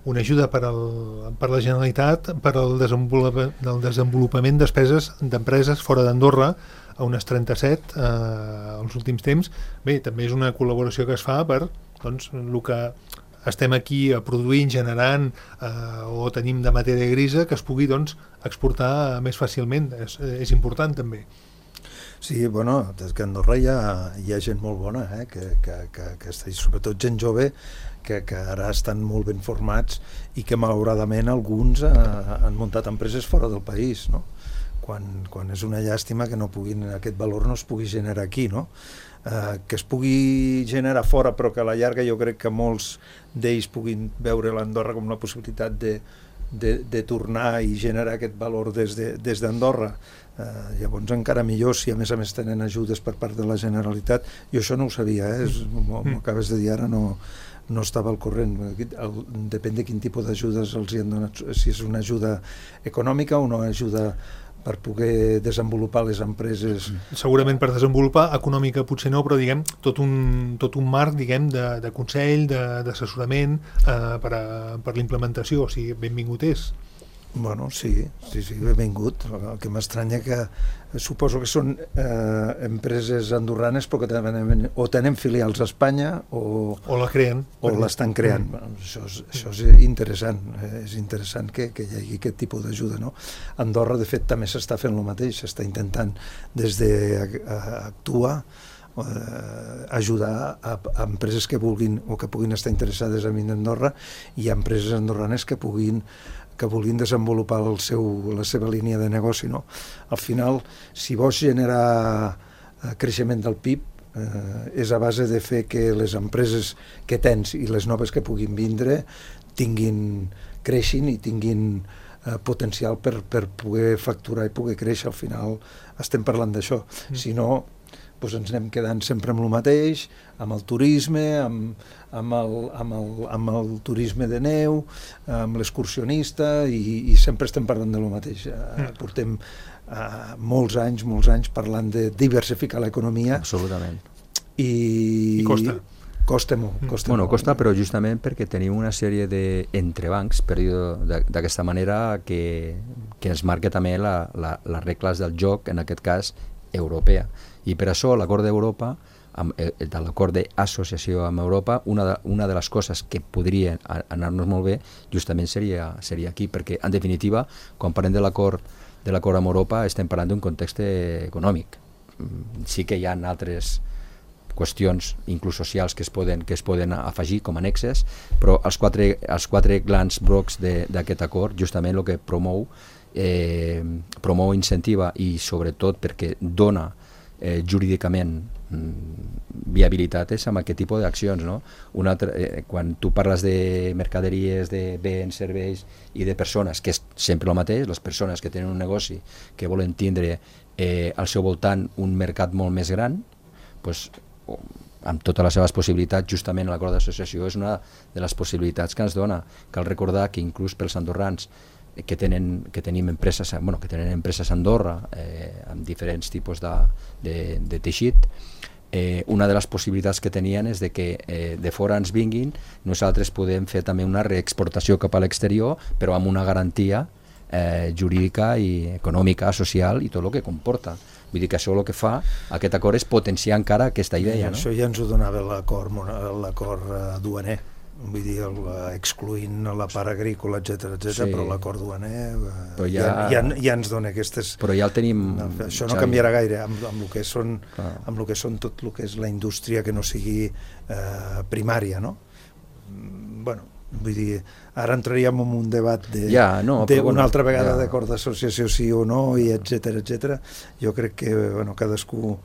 una ajuda per, al, per la Generalitat per al desenvolupament, del desenvolupament despeses d'empreses fora d'Andorra, a unes trenta-set eh, els últims temps. Bé, també és una col·laboració que es fa per, doncs, el que estem aquí produint, generant eh, o tenim de matèria grisa, que es pugui, doncs, exportar més fàcilment. És, és important també. Sí, bueno, des que a Andorra hi ha, hi ha gent molt bona, eh, que, que, que, que està, sobretot gent jove, que, que ara estan molt ben formats i que malauradament alguns eh, han muntat empreses fora del país, no? Quan, quan és una llàstima que no puguin, aquest valor no es pugui generar aquí, no? Eh, que es pugui generar fora, però que a la llarga jo crec que molts d'ells puguin veure l'Andorra com la possibilitat de, de, de tornar i generar aquest valor des de, des d'Andorra. Eh, llavors encara millor si a més a més tenen ajudes per part de la Generalitat. Jo això no ho sabia, eh? M'ho acabes de dir ara, no, no estava al corrent. El, depèn de quin tipus d'ajudes els hi han donat, si és una ajuda econòmica o una ajuda per poder desenvolupar les empreses. Segurament per desenvolupar, econòmica potser no, però diguem, tot un, tot un marc, diguem, de, de consell, d'assessorament eh, per, a, per l'implementació, o sigui, benvingut és. Bueno, sí, sí, sí, benvingut. El que m'estranya que suposo que són eh, empreses andorranes però que tenen, o tenen filials a Espanya o, o la creen. O l'estan creant. Mm. Bueno, això, és, això és interessant, eh, és interessant que, que hi hagi aquest tipus d'ajuda, no? Andorra, de fet, també s'està fent el mateix, s'està intentant des d'actuar eh, ajudar a, a empreses que vulguin o que puguin estar interessades a venir a Andorra i a empreses andorranes que puguin que vulguin desenvolupar el seu, la seva línia de negoci, no? Al final, si vols generar creixement del P I B, eh, és a base de fer que les empreses que tens i les noves que puguin vindre tinguin, creixin i tinguin eh, potencial per, per poder facturar i poder créixer. Al final estem parlant d'això. Mm. Si no, doncs ens anem quedant sempre amb el mateix, amb el turisme, amb, amb, el, amb, el, amb el turisme de neu, amb l'excursionista, i, i sempre estem parlant de lo mateix. Mm. Portem uh, molts anys, molts anys parlant de diversificar l'economia. Absolutament. I, I costa. Costa molt. Costa bueno, molt. costa, però justament perquè tenim una sèrie d'entrebancs, per dir-ho d'aquesta manera, que, que ens marca també la, la, les regles del joc, en aquest cas, europea. I per això l'acord d'Europa, de l'acord d'associació amb Europa, una de, una de les coses que podria anar-nos molt bé justament seria, seria aquí, perquè en definitiva, quan parlem de l'acord de l'acord amb Europa, estem parlant d'un context econòmic. Sí que hi ha altres qüestions, inclús socials, que es poden, que es poden afegir com a annexes, però els quatre, els quatre grans blocs d'aquest acord, justament el que promou, eh, promou, incentiva i sobretot perquè dona Eh, jurídicament mm, viabilitat és amb aquest tipus d'accions, no? Una altra, eh, quan tu parles de mercaderies, de béns, serveis i de persones, que és sempre el mateix, les persones que tenen un negoci que volen tindre eh, al seu voltant un mercat molt més gran, pues, amb totes les seves possibilitats, justament l'acord d'associació és una de les possibilitats que ens dona. Cal recordar que inclús pels andorrans que tenen, que tenim empreses, bueno, que tenen empreses a Andorra eh, amb diferents tipus de, de, de teixit, eh, una de les possibilitats que tenien és de que eh, de fora ens vinguin, nosaltres podem fer també una reexportació cap a l'exterior, però amb una garantia eh, jurídica i econòmica, social i tot el que comporta. Vull dir que això el que fa, aquest acord, és potenciar encara aquesta idea. No? Això ja ens ho donava l'acord l'acord duaner. Vull dir, el, excluint la part agrícola, etcètera, etcètera, sí. Però l'acord duaner eh, ja, ja, ja, ja ens dona aquestes... Però ja el tenim... No, això no canviarà gaire amb, amb, el que són, amb el que són tot el que és la indústria que no sigui eh, primària, no? Bueno, vull dir, ara entraríem en un debat de, ja, no, de bueno, una altra vegada ja. D'acord d'associació sí o no, i etcètera, etcètera. Jo crec que, bueno, cadascú...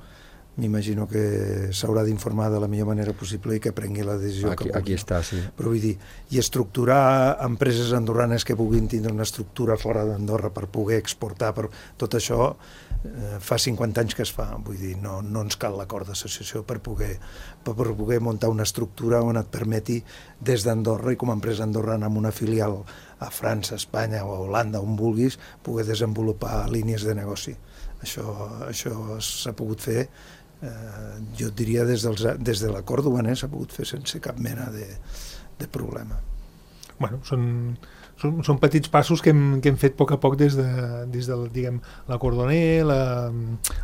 m'imagino que s'haurà d'informar de la millor manera possible i que prengui la decisió aquí, que vulgui. Aquí està, sí. Però vull dir, i estructurar empreses andorranes que puguin tindre una estructura fora d'Andorra per poder exportar, per tot això eh, fa cinquanta anys que es fa, vull dir, no, no ens cal l'acord d'associació per poder, per poder muntar una estructura on et permeti des d'Andorra i com a empresa andorrana amb una filial a França, Espanya o a Holanda, on vulguis, poder desenvolupar línies de negoci. Això, això s'ha pogut fer Eh, jo et diria des, dels, des de l'acord duaner s'ha pogut fer sense cap mena de, de problema. Bueno, són, són, són petits passos que hem, que hem fet a poc a poc des de, des del, diguem, l'acord duaner, la,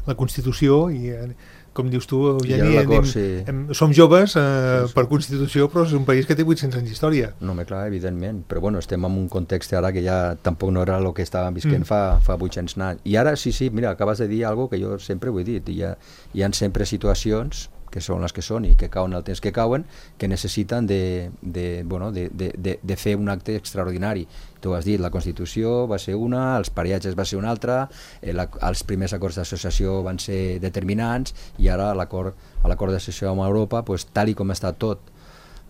la Constitució i, com dius tu, Eugeni, anem, sí. hem, som joves eh, sí, sí. per Constitució, però és un país que té vuit-cents anys d'història. No, clar, evidentment, però bueno, estem en un context ara que ja tampoc no era el que estàvem visquent mm. fa, fa vuit-cents anys. I ara sí, sí, mira, acabes de dir alguna que jo sempre ho he dit, hi ha, hi ha sempre situacions que són les que són i que cauen el temps que cauen, que necessiten de, de, bueno, de, de, de, de fer un acte extraordinari. Tu has dit, la Constitució va ser una, els pareatges va ser una altra, eh, la, els primers acords d'associació van ser determinants i ara l'acord a l'acord d'associació amb Europa, pues, tal i com està tot,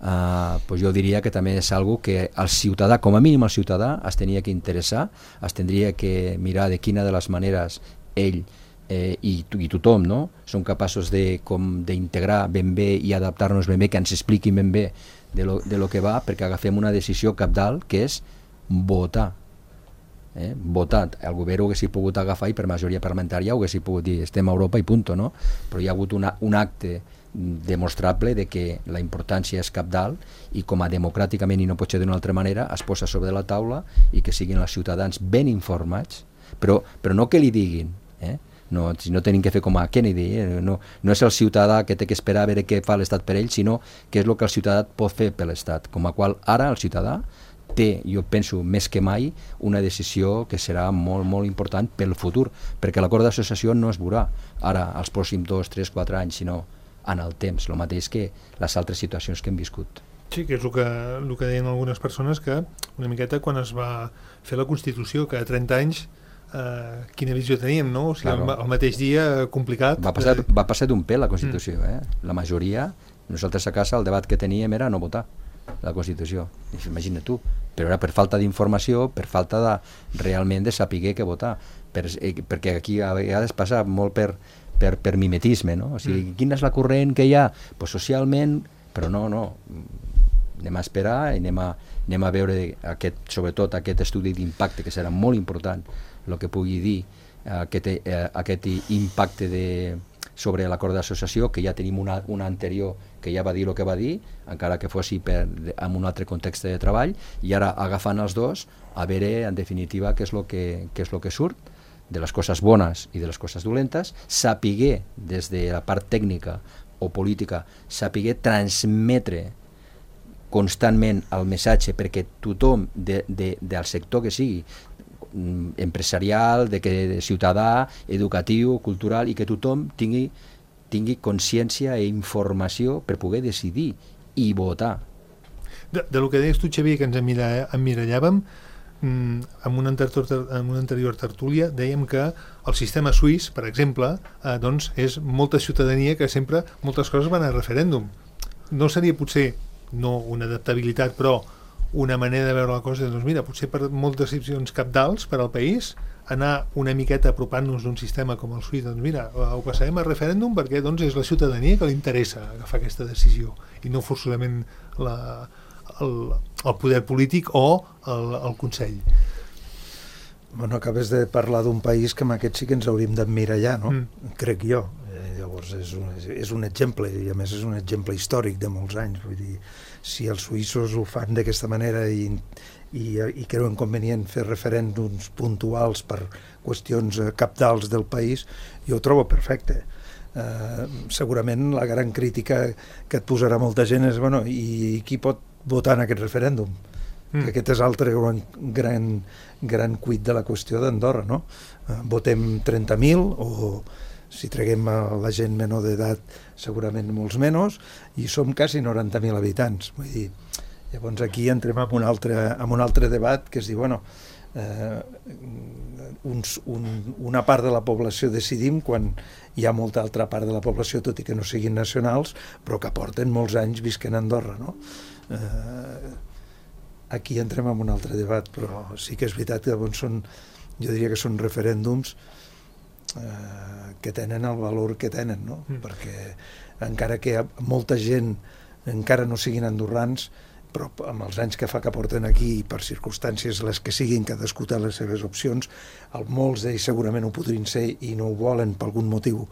Uh, pues jo diria que també és algo que el ciutadà, com a mínim el ciutadà, es tenia que interessar, es tindria que mirar de quina de les maneres ell eh, i, i tothom, no? Som capaços de, com, d'integrar ben bé i adaptar-nos ben bé, que ens expliquin ben bé de lo, de lo que va, perquè agafem una decisió cabdal, que és votar. Eh? Votar. El govern ho haguessi pogut agafar i per majoria parlamentària ho haguessi pogut dir estem a Europa i punto, no? Però hi ha hagut una, un acte demostrable de que la importància és cabdal i com a democràticament i no pot ser d'una altra manera es posa sobre la taula i que siguin els ciutadans ben informats, però, però no que li diguin, eh? No, no tenim que fer com a Kennedy, eh? no, no és el ciutadà que té que esperar a veure què fa l'Estat per ell, sinó que és el que el ciutadà pot fer per l'Estat, com a qual ara el ciutadà té, jo penso, més que mai, una decisió que serà molt, molt important pel futur, perquè l'acord d'associació no es veurà ara, als pròxims dos, tres, quatre anys, sinó en el temps, el mateix que les altres situacions que hem viscut. Sí, que és el que, el que deien algunes persones, que una miqueta quan es va fer la Constitució, que a trenta anys, eh, quina visió teníem, no? O sigui, claro. el, el mateix dia, complicat. Va passar, de... va passar d'un pèl la Constitució, mm. eh? La majoria, nosaltres a casa el debat que teníem era no votar la Constitució, imagina tu, però era per falta d'informació, per falta de realment de saber què votar, per, eh, perquè aquí a vegades passa molt per Per, per mimetisme, no? O sigui, mm. quina és la corrent que hi ha? Pues socialment, però no, no. Anem a esperar i anem a, anem a veure aquest, sobretot aquest estudi d'impacte, que serà molt important el que pugui dir aquest, eh, aquest impacte de, sobre l'acord d'associació, que ja tenim una, una anterior que ja va dir el que va dir, encara que fossi per, en un altre context de treball, i ara agafant els dos, a veure en definitiva què és el que, què és el que surt de les coses bones i de les coses dolentes, sapiguer des de la part tècnica o política, sapiguer transmetre constantment el missatge perquè tothom de, de, del sector que sigui, empresarial, de que, de ciutadà, educatiu, cultural, i que tothom tingui, tingui consciència i informació per poder decidir i votar. De, de lo que deies tu, Xavier, que ens emmirallàvem, en una, en una anterior tertúlia dèiem que el sistema suís, per exemple, eh, doncs és molta ciutadania que sempre moltes coses van a referèndum. No seria potser, no una adaptabilitat, però una manera de veure la cosa, doncs mira, potser per moltes decisions cabdals per al país, anar una miqueta apropant-nos d'un sistema com el suís, doncs mira, ho passarem a referèndum perquè doncs és la ciutadania que li interessa agafar aquesta decisió i no forçosament la... El, el poder polític o el, el Consell. Bueno, acabes de parlar d'un país que amb aquest sí que ens hauríem d'emmirallar, no? Mm. Crec jo. Eh, llavors és un, és un exemple, i a més és un exemple històric de molts anys. Vull dir, si els suïssos ho fan d'aquesta manera i, i, i creuen convenient fer referèndums puntuals per qüestions cabdals del país, jo ho trobo perfecte. Eh, segurament la gran crítica que et posarà molta gent és, bueno, i qui pot votar en aquest referèndum? Mm. Aquest és l'altre gran, gran, gran cuit de la qüestió d'Andorra, no? Eh, votem trenta mil o si treguem a la gent menor d'edat segurament molts menys i som quasi noranta mil habitants. Vull dir, llavors aquí entrem en un altre, en un altre debat que es diu, bueno, eh, uns, un, una part de la població decidim quan hi ha molta altra part de la població, tot i que no siguin nacionals, però que porten molts anys visquent a Andorra, no? Eh, aquí entrem en un altre debat, però sí que és veritat que doncs, són, jo diria que són referèndums eh, que tenen el valor que tenen, no? Mm. Perquè encara que molta gent encara no siguin andorrans, però amb els anys que fa que porten aquí i per circumstàncies les que siguin, cadascú té les seves opcions, el, molts d'ells segurament ho podrien ser i no ho volen per algun motiu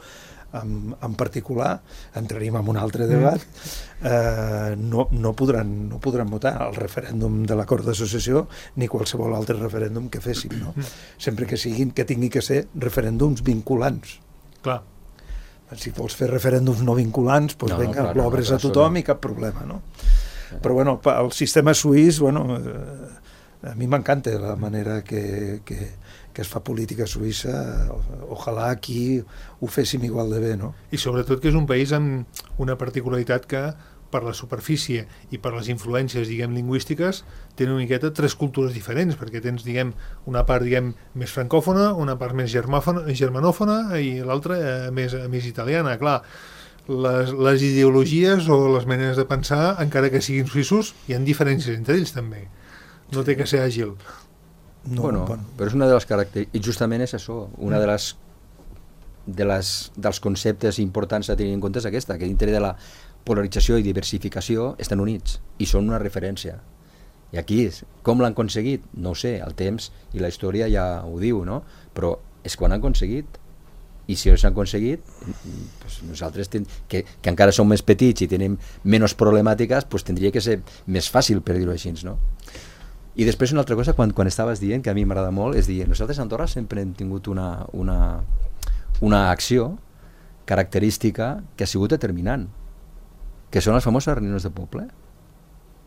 en, en particular, entraríem en un altre debat, eh, no, no, podran, no podran votar el referèndum de l'acord d'associació ni qualsevol altre referèndum que féssim, no? Sempre que siguin, que tingui que ser referèndums vinculants. Clar. Si vols fer referèndums no vinculants, doncs no, vinga, no, l'obres no, a tothom i cap problema, no? Però bueno, el sistema suís, bueno, eh, a mi m'encanta la manera que, que, que es fa política suïssa, ojalà aquí ho féssim igual de bé, no? I sobretot que és un país amb una particularitat que per la superfície i per les influències, diguem, lingüístiques, tenen una miqueta tres cultures diferents, perquè tens, diguem, una part, diguem, més francòfona, una part més germanòfona i l'altra eh, més, més italiana, clar. Les, les ideologies o les maneres de pensar, encara que siguin suïssos, hi ha diferències entre ells també. No té que ser àgil. No, bueno, bueno, però és una de les característiques, i justament és això, una de les de les, dels conceptes importants a tenir en compte és aquesta, que dintre de la polarització i diversificació estan units i són una referència. I aquí, com l'han aconseguit? No ho sé, el temps i la història ja ho diu, no? Però és quan han aconseguit. I si els han aconseguit, pues nosaltres, ten, que, que encara som més petits i tenim menys problemàtiques, pues tindria que ser més fàcil, per dir-ho així, no? I després una altra cosa, quan, quan estaves dient, que a mi m'agrada molt, és dir, nosaltres a Andorra sempre hem tingut una, una, una acció característica que ha sigut determinant, que són les famoses reunions de poble.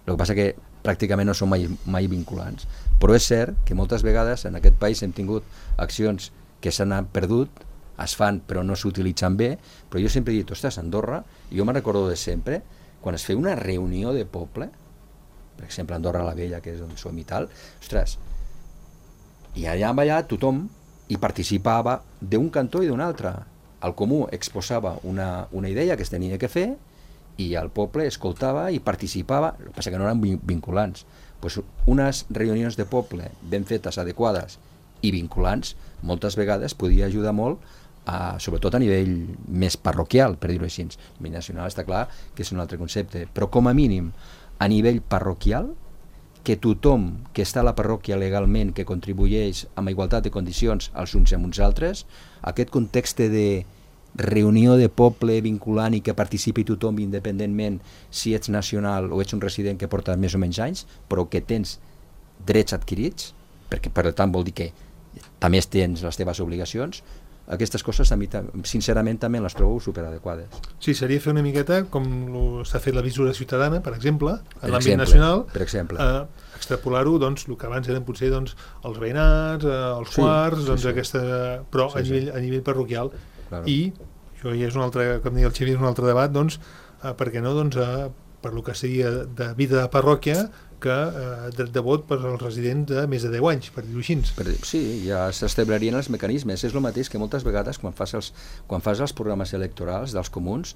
El que passa que pràcticament no són mai, mai vinculants, però és cert que moltes vegades en aquest país hem tingut accions que s'han perdut, es fan però no s'utilitzen bé, però jo sempre he dit, ostres, Andorra, i jo me'n recordo de sempre, quan es feia una reunió de poble, per exemple Andorra la Vella, que és on som i tal, ostres, i allà allà tothom hi participava d'un cantó i d'un altre. El comú exposava una, una idea que es tenia que fer i el poble escoltava i participava, el que passa que no eren vinculants. Pues unes reunions de poble ben fetes, adequades i vinculants, moltes vegades podia ajudar molt, a, sobretot a nivell més parroquial, per dir-ho així. A nivell nacional està clar que és un altre concepte, però com a mínim a nivell parroquial, que tothom que està a la parròquia legalment, que contribueix amb igualtat de condicions els uns amb uns altres, aquest context de reunió de poble vinculant i que participi tothom independentment si ets nacional o ets un resident que porta més o menys anys, però que tens drets adquirits, perquè per tant vol dir que també tens les teves obligacions, aquestes coses a mi, sincerament, també les trobo superadequades. Sí, seria fer una miqueta com s'ha fet la visura ciutadana, per exemple, en l'àmbit exemple, nacional, per exemple. Eh, extrapolar-ho, doncs, el que abans eren potser doncs, els veïnats, eh, els sí, quarts, sí, doncs sí. aquesta, però sí, a, nivell, sí. a nivell parroquial. Claro. I això ja és un altre, com deia el Xavier, un altre debat, doncs, eh, per què no, doncs, eh, per lo que seria de vida de parròquia, que eh, dret de vot per als residents de més de deu anys, per dir-ho així. Per, sí, ja s'establerien els mecanismes. És el mateix que moltes vegades quan fas els, quan fas els programes electorals dels comuns,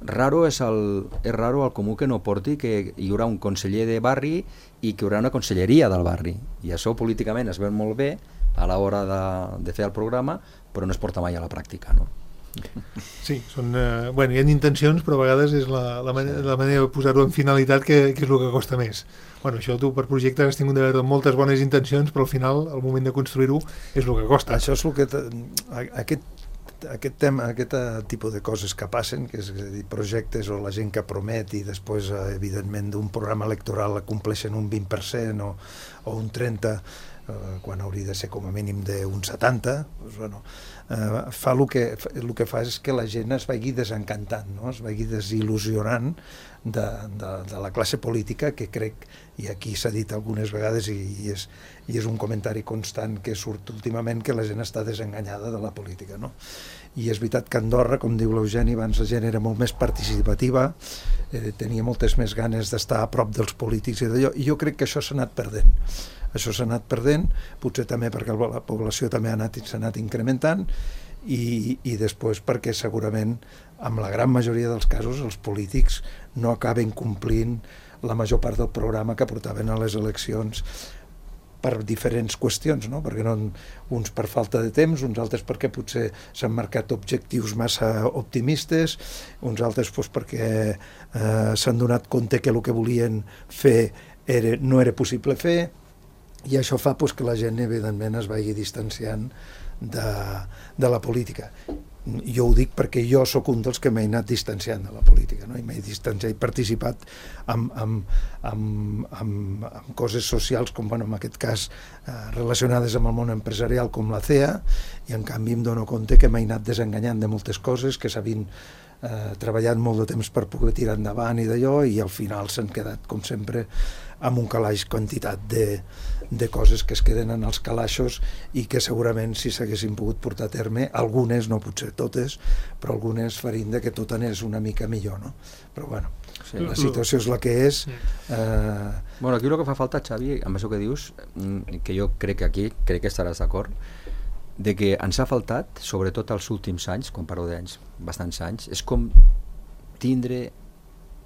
raro és, el, és raro el comú que no porti que hi haurà un conseller de barri i que hi haurà una conselleria del barri. I això políticament es veu molt bé a l'hora de, de fer el programa, però no es porta mai a la pràctica, no? Sí, són, eh, bueno, hi ha intencions, però a vegades és la, la, manera, la manera de posar-ho en finalitat que, que és el que costa més. Bueno, això tu per projectes has tingut d'haver moltes bones intencions, però al final, al moment de construir-ho, és el que costa. Això és el que... Aquest, aquest tema, aquest tipus de coses que passen, que és a dir, projectes o la gent que promet i després, evidentment, d'un programa electoral compleixen un vint per cent o, o un trenta per cent, eh, quan hauria de ser com a mínim d'un setanta per cent, doncs, bueno, eh, fa el que, el que fa és que la gent es vagi desencantant, no? Es vagi desil·lusionant de, de, de la classe política, que crec, i aquí s'ha dit algunes vegades i, i, és, i és un comentari constant que surt últimament, que la gent està desenganyada de la política, no? I és veritat que Andorra, com diu l'Eugeni, abans la gent era molt més participativa, eh, tenia moltes més ganes d'estar a prop dels polítics i d'allò, i jo crec que això s'ha anat perdent. Això s'ha anat perdent, potser també perquè la població també ha anat, s'ha anat incrementant, i, i després perquè segurament, en la gran majoria dels casos, els polítics no acaben complint la major part del programa que portaven a les eleccions per diferents qüestions, no? Perquè no, uns per falta de temps, uns altres perquè potser s'han marcat objectius massa optimistes, uns altres doncs, perquè eh, s'han donat compte que el que volien fer era, no era possible fer, i això fa doncs, que la gent evidentment es vagi distanciant de, de la política. Jo ho dic perquè jo sóc un dels que m'he anat distanciant de la política, no? I m'he distanciat, he participat amb, amb, amb, amb, amb coses socials com, bueno, en aquest cas eh, relacionades amb el món empresarial com la C E A, i en canvi em dono compte que m'he anat desenganyant de moltes coses, que s'havien eh, treballat molt de temps per poder tirar endavant i d'allò, i al final s'han quedat, com sempre, amb un calaix quantitat de, de coses que es queden en els calaixos i que segurament si s'haguessin pogut portar a terme, algunes, no potser totes, però algunes farien de que tot anés una mica millor, no? Però bueno, sí, la situació és la que és. Eh... Bueno, aquí el que fa falta, Xavi, amb això que dius, que jo crec que aquí, crec que estaràs d'acord, de que ens ha faltat, sobretot els últims anys, quan parlo d'anys, bastants anys, és com tindre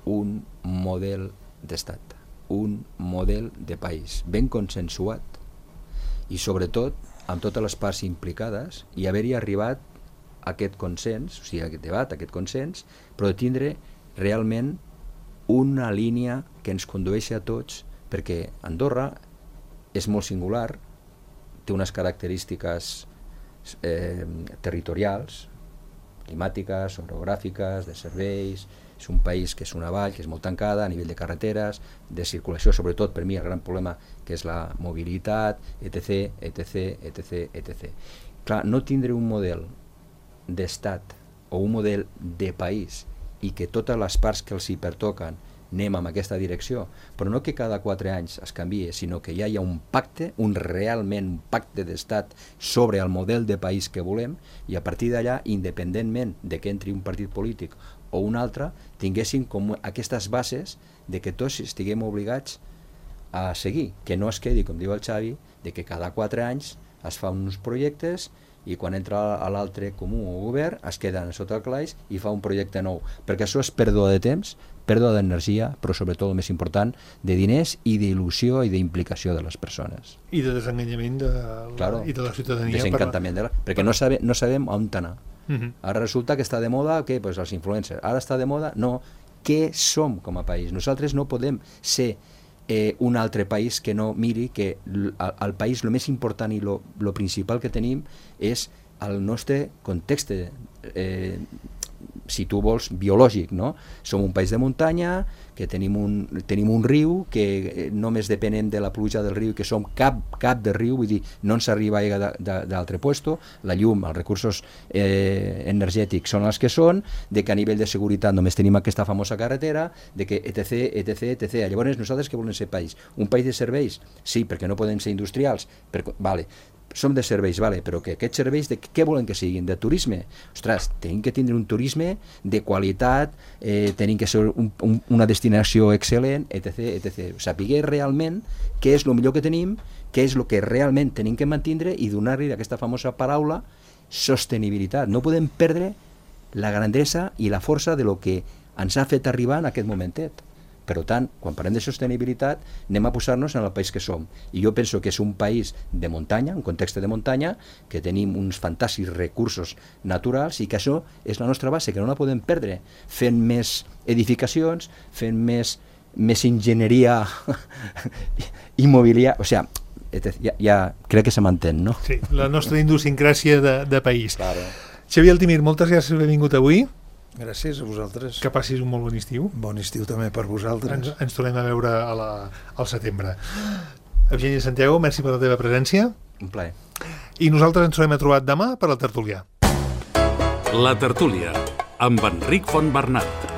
un model d'estat, un model de país ben consensuat i sobretot amb totes les parts implicades, i haver-hi arribat aquest consens, o sigui, aquest debat, aquest consens, però de tindre realment una línia que ens condueixi a tots, perquè Andorra és molt singular, té unes característiques eh, territorials, climàtiques, orogràfiques, de serveis, és un país que és una vall, que és molt tancada a nivell de carreteres, de circulació, sobretot per mi el gran problema que és la mobilitat, etc, etc, etc, etc. Clar, no tindre un model d'estat o un model de país i que totes les parts que els hi pertoquen anem en aquesta direcció, però no que cada quatre anys es canvie, sinó que ja hi ha un pacte, un realment un pacte d'estat sobre el model de país que volem, i a partir d'allà, independentment de que entri un partit polític o un altre, tinguessin com aquestes bases de que tots estiguem obligats a seguir, que no es quedi, com diu el Xavi, de que cada quatre anys es fa uns projectes i quan entra a l'altre comú o govern es queden sota el calaix i fa un projecte nou, perquè això és pèrdua de temps, pèrdua d'energia, però sobretot el més important, de diners i d'il·lusió i d'implicació de les persones. I de desenganyament de la, claro, i de la ciutadania. Desencantament, de la, perquè no, sabe, no sabem on anar. Uh -huh. Ara resulta que està de moda, què? Pues els influencers. Ara està de moda, no. Què som com a país? Nosaltres no podem ser eh, un altre país que no miri que el, el país, el més important i el principal que tenim és el nostre context, eh, si tu vols, biològic, no? Som un país de muntanya, que tenim un, tenim un riu, que només depenem de la pluja del riu, que som cap, cap de riu, vull dir, no ens arriba aigua d'altre puesto, la llum, els recursos eh, energètics són els que són, de que a nivell de seguretat només tenim aquesta famosa carretera, de que etc, etc, etc. Llavors, nosaltres què volem ser país? Un país de serveis? Sí, perquè no podem ser industrials, perquè, vale, som de serveis, vale, però que aquests serveis de què volen que siguin? De turisme? Ostres, tenim que tindre un turisme de qualitat, eh, tenim que ser un, un, una destinació excel·lent, etc, etc. Saber realment què és el millor que tenim, què és el que realment tenim que mantindre i donar-li aquesta famosa paraula sostenibilitat. No podem perdre la grandesa i la força de lo que ens ha fet arribar en aquest momentet. Per tant, quan parlem de sostenibilitat, anem a posar-nos en el país que som. I jo penso que és un país de muntanya, un context de muntanya, que tenim uns fantàstics recursos naturals i que això és la nostra base, que no la podem perdre. Fent més edificacions, fent més, més enginyeria immobiliària, o sigui, ja, ja crec que se m'entén, no? Sí, la nostra idiosincràsia de, de país. Claro. Xavier Altimir, moltes gràcies per haver vingut avui. Gràcies a vosaltres. Que passis un molt bon estiu. Bon estiu també per vosaltres. Ens, ens tornem a veure a la, al setembre. Eugènia Santiago, merci per la teva presència. Un plaer. I nosaltres ens tornem a trobar demà per al Tertulià. La Tertúlia, amb Enric Fontbernat.